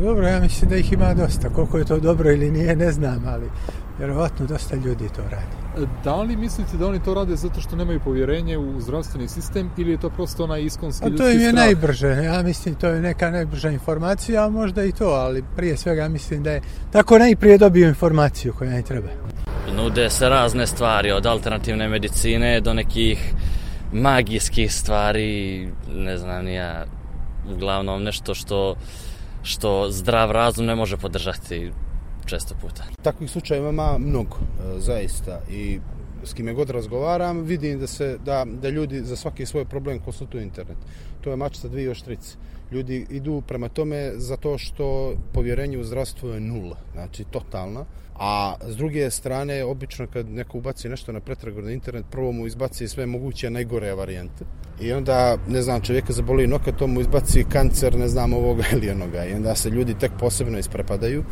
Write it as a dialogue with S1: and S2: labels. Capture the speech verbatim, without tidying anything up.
S1: Dobro, ja mislim da ih ima dosta. Koliko je to dobro ili nije, ne znam, ali vjerovatno dosta ljudi to radi.
S2: Da li mislite da oni to rade zato što nemaju povjerenje u zdravstveni sistem ili je to prosto onaj iskonski ljudski strah?
S1: A to im je najbrže. Ja mislim to je neka najbrža informacija, a možda i to, ali prije svega mislim da je tako najprije dobio informaciju koja ne treba.
S3: Nude se razne stvari, od alternativne medicine do nekih magijskih stvari, ne znam ni ja, uglavnom nešto što, što zdrav razum ne može podržati često puta.
S4: Takvih slučajeva ima mnogo, zaista, i s kime god razgovaram vidim da se da, da ljudi za svaki svoj problem konsultuju internet. To je mač sa dvije oštrice. Ljudi idu prema tome zato što povjerenje u zdravstvo je nula, znači totalna. A s druge strane, obično kad neko ubaci nešto na pretragu na internet, prvo mu izbaci sve moguće najgore varijante. I onda, ne znam, čovjeka zaboli noka, to mu izbaci kancer, ne znam, ovoga ili onoga. I onda se ljudi tek posebno isprepadaju.